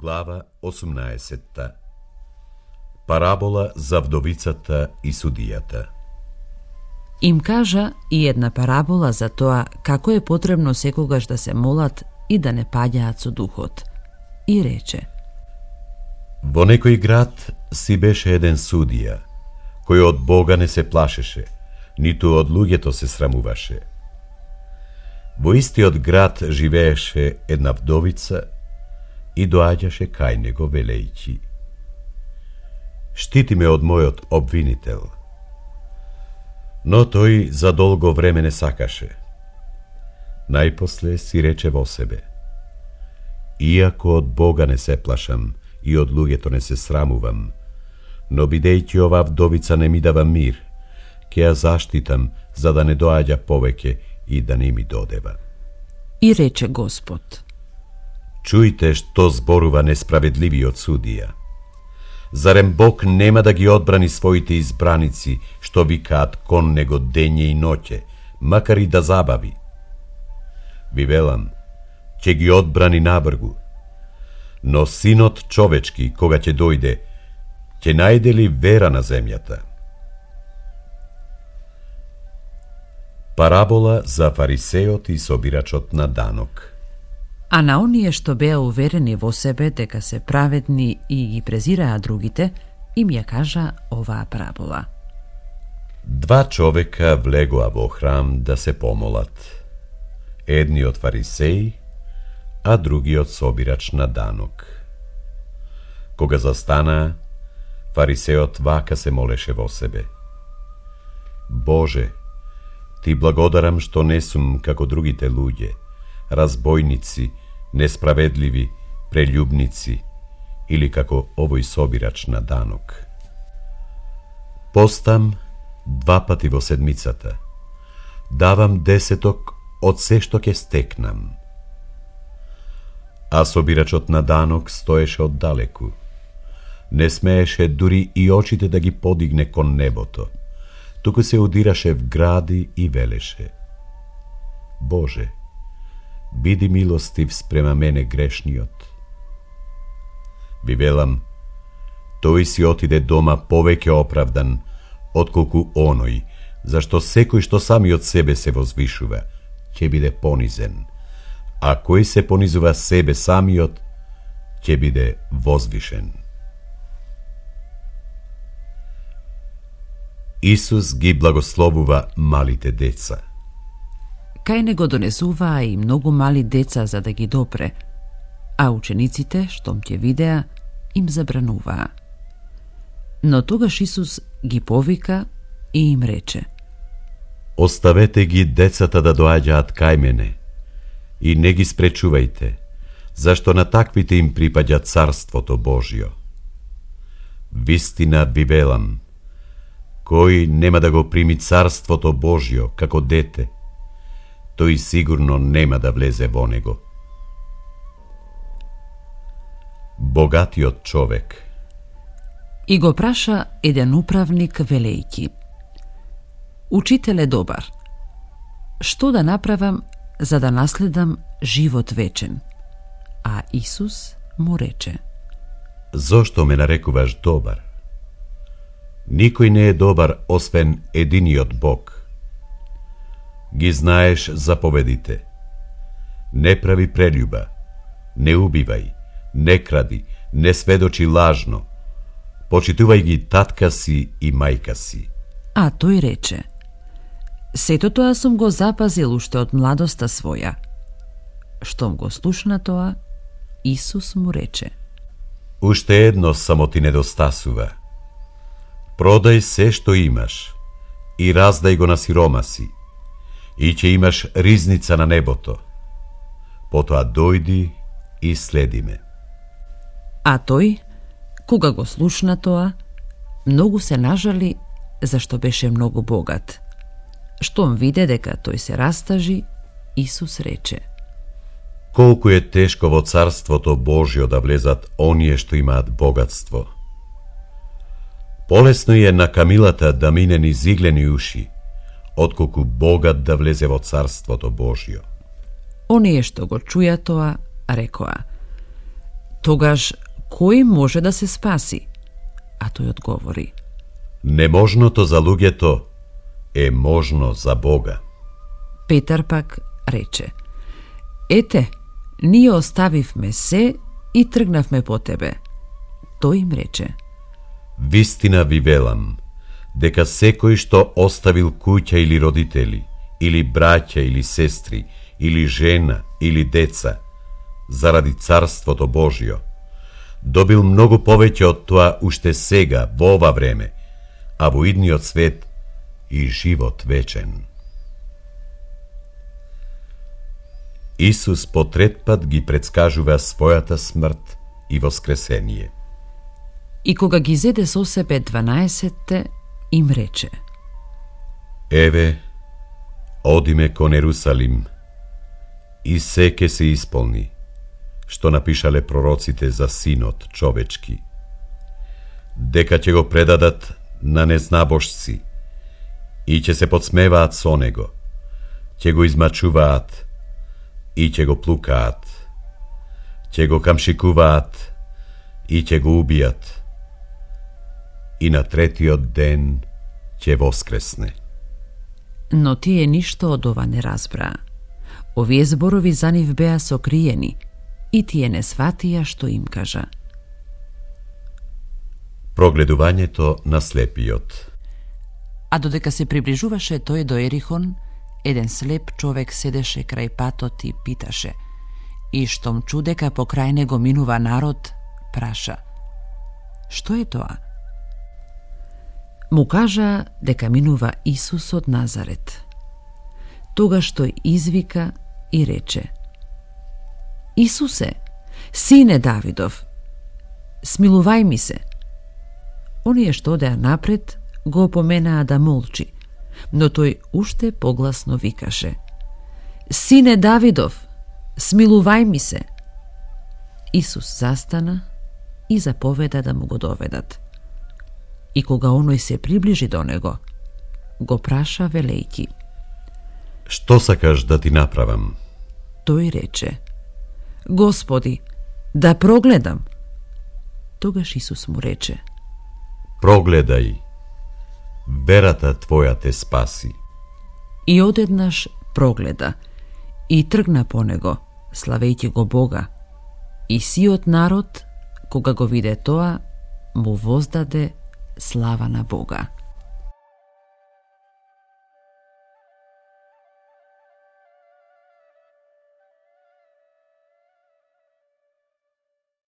Глава 18. Парабола за вдовицата и судијата. Им кажа и една парабола за тоа како е потребно секогаш да се молат и да не паѓаат со духот. И рече: Во некој град си беше еден судија, кој од Бога не се плашеше, ниту од луѓето се срамуваше. Во истиот град живееше една вдовица и доаѓаше кај него велејќи: Штити ме од мојот обвинител. Но тој за долго време не сакаше. Најпосле си рече во себе: Иако од Бога не се плашам и од луѓето не се срамувам, но бидејќи оваа вдовица не ми дава мир, ќе ја заштитам за да не доаѓа повеќе и да не ми додева. И рече Господ: Чујте што зборува несправедливиот судија. Зарем Бог нема да ги одбрани своите избраници, што викаат кон него дење и ноќе, макар и да забави? Ви велам, ќе ги одбрани набргу. Но Синот човечки, кога ќе дојде, ќе најде ли вера на земјата? Парабола за фарисеот и собирачот на данок. А на оние што беа уверени во себе дека се праведни и ги презираа другите, им ја кажа оваа парабола. Два човека влегоа во храм да се помолат. Едниот фарисеј, а другиот собирач на данок. Кога застанаа, фарисеот вака се молеше во себе: Боже, Ти благодарам што не сум како другите луѓе, разбойници, несправедливи, прелюбници, или како овој собирач на данок. Постам 2 пати во седмицата. Давам 10 од се што ќе стекнам. А собирачот на данок стоеше оддалеку. Не смееше дури и очите да ги подигне кон небото, туку се удираше в гради и велеше: Боже, биди милостив спрема мене грешниот. Ви велам, тој си отиде дома повеќе оправдан, отколку оној, зашто секој што сами од себе се возвишува, ќе биде понизен, а кој се понизува себе самиот, ќе биде возвишен. Исус ги благословува малите деца. Кај него донесуваа и многу мали деца за да ги допре, а учениците, штом ќе видеа, им забрануваа. Но тогаш Исус ги повика и им рече: Оставете ги децата да доаѓаат кај мене и не ги спречувајте, зашто на таквите им припаѓа Царството Божјо. Вистина ви велам, кој нема да го прими Царството Божјо како дете, тој сигурно нема да влезе во него. Богатиот човек. И го праша еден управник велејки: Учителе добар, што да направам за да наследам живот вечен? А Исус му рече: Зошто ме нарекуваш добар? Никој не е добар освен единиот Бог. Ги знаеш заповедите: не прави прелюба, не убивај, не кради, не сведочи лажно, почитувај ги татка си и мајка си. А тој рече: Сето тоа сум го запазил уште од младоста своја. Штом го слушна тоа, Исус му рече: Уште едно само ти недостасува. Продај се што имаш и раздај го на сиромаси, и ќе имаш ризница на небото. Потоа дојди и следи ме. А тој, кога го слушна тоа, многу се нажали, зашто беше многу богат. Штом виде дека тој се растажи, Исус рече: Колку е тешко во Царството Божјо да влезат оние што имаат богатство. Полесно е на камилата да мине низ иглени уши, отколку богат да влезе во Царството Божјо. Оние што го чуја тоа, рекоа: Тогаш кој може да се спаси? А тој одговори: Неможното за луѓето е можно за Бога. Петар пак рече: Ете, ние оставивме се и тргнавме по тебе. Тој им рече: Вистина ви велам, дека секој што оставил куќа или родители, или браќа или сестри, или жена, или деца, заради Царството Божјо, добил многу повеќе од тоа уште сега, во ова време, а во идниот свет и живот вечен. Исус по трет пат ги предскажува својата смрт и воскресение. И кога ги зеде со себе 12, им рече: Еве, одиме кон Ерусалим, и се ке се исполни, што напишале пророците за Синот човечки, дека ќе го предадат на незнабожци и ќе се подсмеваат со него, ќе го измачуваат и ќе го плукаат, ќе го камшикуваат и ќе го убијат, и на третиот ден ќе воскресне. Но тие ништо од ова не разбраа. Овие зборови за нив беа сокриени, и тие не сватија што им кажа. Прогледувањето на слепиот. А додека се приближуваше тој до Ерихон, еден слеп човек седеше крај патот и питаше, и штом чу дека покрај него минува народ, праша: Што е тоа? Му кажа дека минува Исус од Назарет. Тогаш тој извика и рече: Исусе, сине Давидов, смилувај ми се. Оние што одеа напред го опоменаа да молчи, но тој уште погласно викаше: Сине Давидов, смилувај ми се. Исус застана и заповеда да му го доведат. И кога оној се приближи до него, го праша велејки: Што сакаш да ти направам? Тој рече: Господи, да прогледам. Тогаш Исус му рече: Прогледај, верата твоја те спаси. И одеднаш прогледа и тргна по него, славејќи го Бога. И сиот народ, кога го виде тоа, му воздаде слава на Бога.